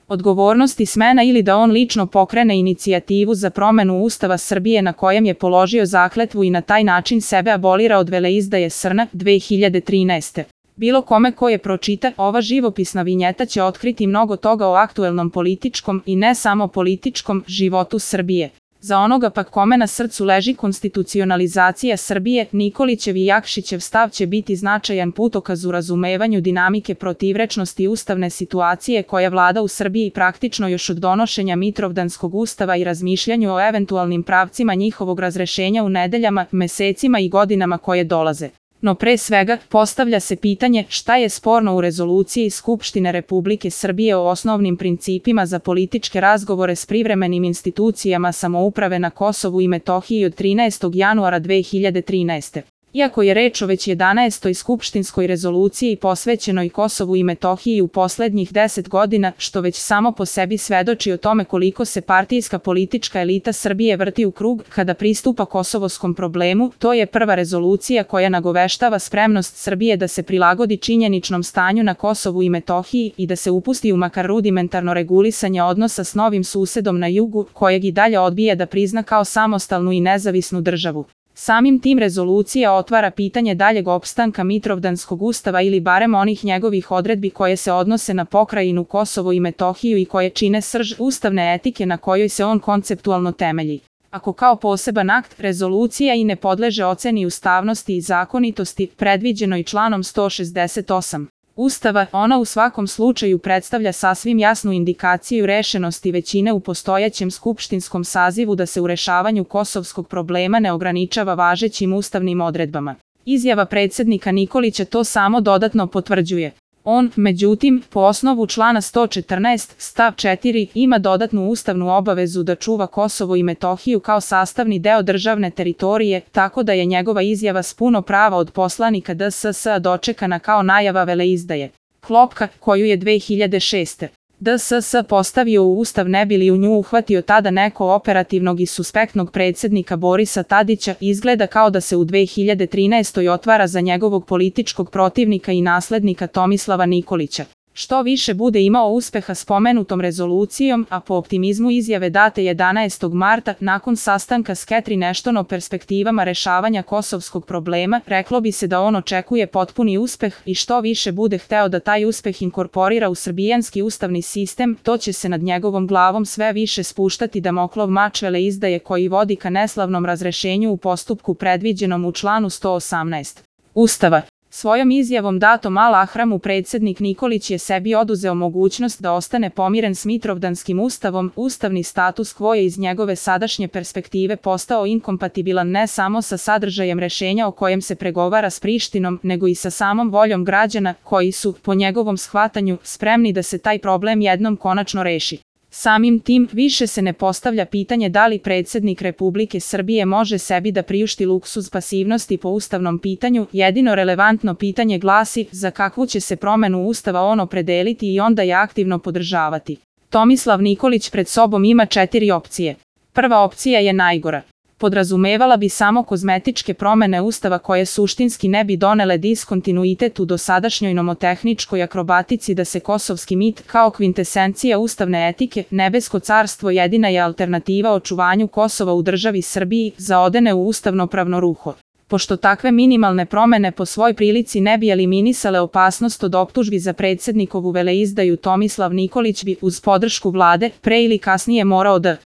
odgovornost i smena ili da on lično pokrene inicijativu za promenu Ustava Srbije na kojem je položio zakletvu i na taj način sebe abolira od veleizdaje SRNA 2013. Bilo kome ko je pročita, ova živopisna vinjeta će otkriti mnogo toga o aktuelnom političkom i ne samo političkom životu Srbije. Za onoga pak kome na srcu leži konstitucionalizacija Srbije, Nikolićev i Jakšićev stav će biti značajan putokaz u razumevanju dinamike protivrečnosti ustavne situacije koja vlada u Srbiji praktično još od donošenja Mitrovdanskog ustava i razmišljanju o eventualnim pravcima njihovog razrešenja u nedeljama, mesecima i godinama koje dolaze. No pre svega, postavlja se pitanje šta je sporno u rezoluciji Skupštine Republike Srbije o osnovnim principima za političke razgovore s privremenim institucijama samouprave na Kosovu i Metohiji od 13. januara 2013. Iako je reč o već 11. skupštinskoj rezoluciji posvećenoj Kosovu i Metohiji u poslednjih 10 godina, što već samo po sebi svedoči o tome koliko se partijska politička elita Srbije vrti u krug kada pristupa kosovoskom problemu, to je prva rezolucija koja nagoveštava spremnost Srbije da se prilagodi činjeničnom stanju na Kosovu i Metohiji i da se upusti u makar rudimentarno regulisanje odnosa s novim susedom na jugu, kojeg i dalje odbija da prizna kao samostalnu i nezavisnu državu. Samim tim rezolucija otvara pitanje daljeg opstanka Mitrovdanskog ustava ili barem onih njegovih odredbi koje se odnose na pokrajinu Kosovo i Metohiju i koje čine srž ustavne etike na kojoj se on konceptualno temelji. Ako kao poseban akt rezolucija i ne podleže oceni ustavnosti i zakonitosti, predviđeno i članom 168. Ustava, ona u svakom slučaju predstavlja sasvim jasnu indikaciju rešenosti većine u postojećem skupštinskom sazivu da se u rešavanju kosovskog problema ne ograničava važećim ustavnim odredbama. Izjava predsjednika Nikolića to samo dodatno potvrđuje. On, međutim, po osnovu člana 114, stav 4, ima dodatnu ustavnu obavezu da čuva Kosovo i Metohiju kao sastavni deo državne teritorije, tako da je njegova izjava s puno prava od poslanika DSS-a dočekana kao najava veleizdaje. Klopka, koju je 2006. DSS postavio u Ustav ne bi li u nju uhvatio tada neko operativnog i suspektnog predsjednika Borisa Tadića, izgleda kao da se u 2013. otvara za njegovog političkog protivnika i naslednika Tomislava Nikolića. Što više bude imao uspeha spomenutom rezolucijom, a po optimizmu izjave date 11. marta, nakon sastanka s Catherine Ashton o perspektivama rešavanja kosovskog problema, reklo bi se da on očekuje potpuni uspeh i što više bude hteo da taj uspeh inkorporira u srbijanski ustavni sistem, to će se nad njegovom glavom sve više spuštati Damoklov mač veleizdaje koji vodi ka neslavnom razrešenju u postupku predviđenom u članu 118. Ustava. Svojom izjavom datom Al-Ahramu predsjednik Nikolić je sebi oduzeo mogućnost da ostane pomiren s Mitrovdanskim ustavom, ustavni status quo je iz njegove sadašnje perspektive postao inkompatibilan ne samo sa sadržajem rešenja o kojem se pregovara s Prištinom, nego i sa samom voljom građana, koji su, po njegovom shvatanju, spremni da se taj problem jednom konačno reši. Samim tim, više se ne postavlja pitanje da li predsjednik Republike Srbije može sebi da priušti luksuz pasivnosti po ustavnom pitanju, jedino relevantno pitanje glasi za kakvu će se promenu ustava on opredeliti i onda je aktivno podržavati. Tomislav Nikolić pred sobom ima 4 opcije. Prva opcija je najgora. Podrazumevala bi samo kozmetičke promene ustava koje suštinski ne bi donele diskontinuitet u dosadašnjoj nomotehničkoj akrobatici da se kosovski mit, kao kvintesencija ustavne etike, nebesko carstvo jedina je alternativa očuvanju Kosova u državi Srbiji, zaodene u ustavnopravno ruho. Pošto takve minimalne promene po svoj prilici ne bi eliminisale opasnost od optužbi za predsjednikovu veleizdaju, Tomislav Nikolić bi, uz podršku vlade, pre ili kasnije morao da